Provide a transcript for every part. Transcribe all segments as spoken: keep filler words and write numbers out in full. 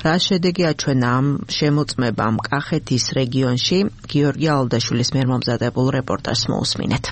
რა შედეგი აჩვენა ამ შემოწმებამ კახეთის რეგიონში? გიორგი ალდაშვილის მიერ მომზადებულ რეპორტაჟს მოусმინეთ.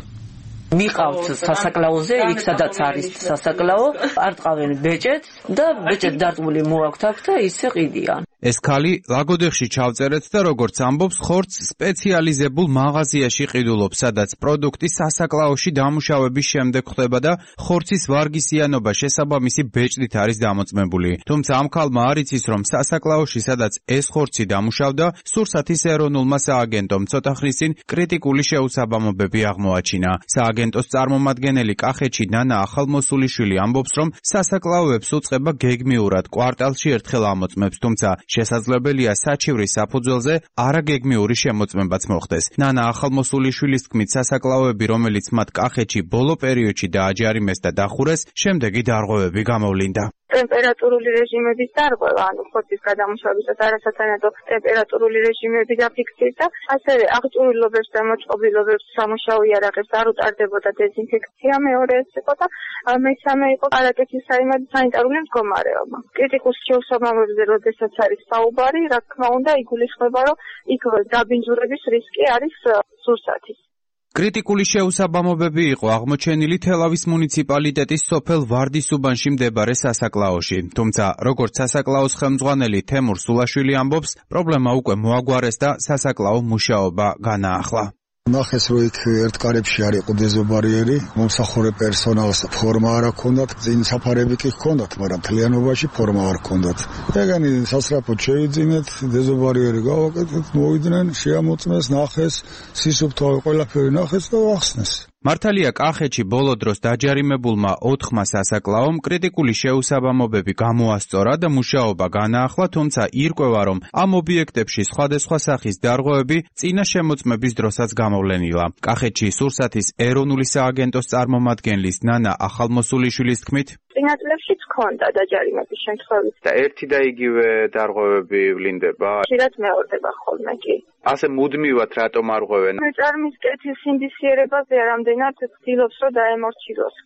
მიყავთ სასაკლაოზე, იქ სადაც არის სასაკლაო, არ ტყავენ ბეჭედს და ბეჭედს დარტყმული მოაქვთ აქ და ისე ყიდიან. ეს ქალი ლაგოდეხში ჩავწერეთ და როგორც ამბობს, ხორცს სპეციალიზებულ მაღაზიაში ყიდულობს, სადაც პროდუქტი სასაკლაოში დამუშავების შემდეგ ხდება და ხორცის ვარგისიანობა შესაბამისი ბეჭდით არის დამოწმებული. თუმცა ამ ქალმა არ იცის, რომ სასაკლაოში, სადაც ეს ხორცი დამუშავდა, სურსათის ეროვნულმა სააგენტომ ცოტა ხნის წინ კრიტიკული შეუსაბამობები აღმოაჩინა. სააგენტოს წარმომადგენელი კახეთში ნანა ახალმოსულიშვილი ამბობს, რომ სასაკლაოებს უწყება გეგმიურად კვარტალში ერთხელ ამოწმებს, თუმცა შესაძლებელია საჩივრის საფუძველზე არაგეგმიური შემოწმებაც მოხდეს. ნანა ახალმოსულიშვილის თქმით, სასაკლაოები, რომელიც მათ კახეთში ბოლო პერიოდში დააჯარიმეს და დახურეს, შემდეგი დარღვევები გამოვლინდა. ტემპერატურული რეჟიმების დარღვევა, ანუ ხორცის გადამუშავებისას არასათანადო ტემპერატურული რეჟიმები დაფიქსირდა და ასევე აღჭურვილობებს და მოწყობილობებს სამუშაო იარაღებს არ უტარდებოდა დეზინფექცია, მეორე ეს იყო და მესამე იყო არაკეთის სანიტარული მდგომარეობა. კრიტიკულ შეუსაბამობებზე როდესაც არის საუბარი, რა თქმა უნდა, იგულისხმება, რომ იქ დაბინძურების რისკი არის სურსათის. კრიტიკული შეუსაბამობები იყო აღმოჩენილი თელავის მუნიციპალიტეტის სოფელ ვარდისუბანში მდებარე სასაკლაოში. თუმცა, როგორც სასაკლაოს ხელმძღვანელი თემურ სულაშვილი ამბობს, პრობლემა უკვე მოაგვარეს და სასაკლაო მუშაობა განაახლა. ნახეს, რომ იქ ერთ კარებში არ იყო დეზობარიერი, მომსახურე პერსონალს ფორმა არ ჰქონდათ, წინ საფარები კი ჰქონდათ, მაგრამ მთლიანობაში ფორმა არ ჰქონდათ. ეგენი სასწრაფოდ შეიძინეთ, დეზობარიერი გავაკეთეთ, მოვიდნენ, შეამოწმეს, ნახეს, სისუფთავე ყველაფერი ნახეს და ახსნეს. მართალია კახეთში ბოლო დროს დაჯარიმებულმა ოთხმა სასაკლაომ კრიტიკული შეუსაბამობები გამოასწორა და მუშაობა განაახლა, თუმცა ირკვევა, რომ ამ ობიექტებში სხვადასხვა სახის დარღვევები წინა შემოწმების დროსაც გამოვლენილა. კახეთში სურსათის ეროვნული სააგენტოს წარმომადგენლის ნანა ახალმოსულიშვილის თქმით, წინა წლებშიც ჰქონდა დაჯარიმების შემთხვევით. და ერთი და იგივე დარღვევები ვლინდება. ხშირად მეორდება ხოლმე კი. ასე მუდმივად რატომ არ ღვევენ? წარმის კეთის ინდისიერებაზე რამდენად ცდილობს, რომ დაემორჩილოს.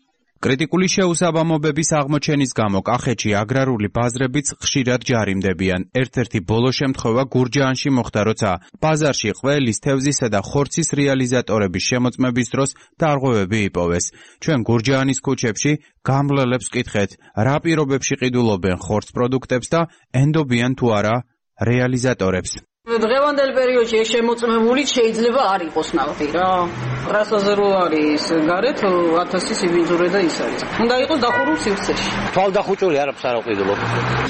კრიტიკული შეუსაბამობების აღმოჩენის გამო კახეთში აგრარული ბაზრებიც ხშირად ჯარიმდებიან. ერთ-ერთი ბოლო შემთხვევა გურჯაანში მოხდა, როცა ბაზარში ყველის, თევზისა და ხორცის რეალიზატორების შემოწმების დროს დარღვევები იპოვეს. ჩვენ გურჯაანის ქუჩებში გამლელებს ვკითხეთ, რა პირობებში ყიდულობენ ხორც პროდუქტებს და ენდობიან თუ არა რეალიზატორებს. დღევანდელ პერიოდში ეს შემოწმებული შეიძლება არ იყოს ნავთი რა. რასაზე რო არის გარეთ ათასი სიბინძურე და ის არის. უნდა იყოს დახურულ სივრცეში. თვალდახუჭული არაფერს არ აყიდულობ.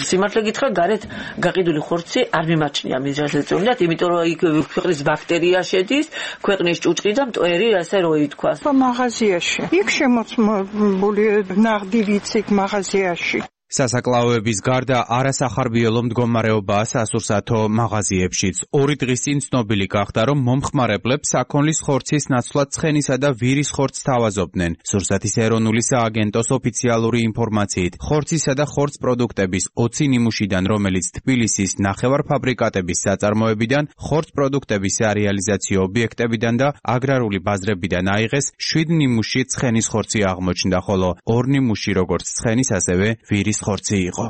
სიმართლე გითხრა, გარეთ გაყიდული ხორცი არ მიმაჩნია მიზანს ეწევნათ, იმიტომ რომ იქ ქვეყნის ბაქტერია შედის, ქვეყნის ჭუჭყი და მტვერი, ასე რო ითქვას. მაღაზიაში. იქ შემოწმებული ნაღდი ვიცით მაღაზიაში. სასაკლაოების გარდა არასახარბიელო მდგომარეობაა სასურსათო მაღაზიებშიც. ორი დღის წინ ცნობილი გახდა, რომ მომხმარებლებს საქონლის ხორცის ნაცვლად ცხენისა და ვირის ხორცს თავაზობდნენ. სურსათის ეროვნული სააგენტოს ოფიციალური ინფორმაციით, ხორცისა და ხორც პროდუქტების ოცი ნიმუშიდან, რომელიც თბილისის ნახევარფაბრიკატების საწარმოებიდან, ხორც პროდუქტების სარეალიზაციო ობიექტებიდან და აგრარული ბაზრებიდან აიღეს, შვიდ ნიმუში ცხენის ხორცი აღმოჩნდა, ხოლო ორ ნიმუში როგორც ცხენის, ასევე ვირის ხორცი იყო.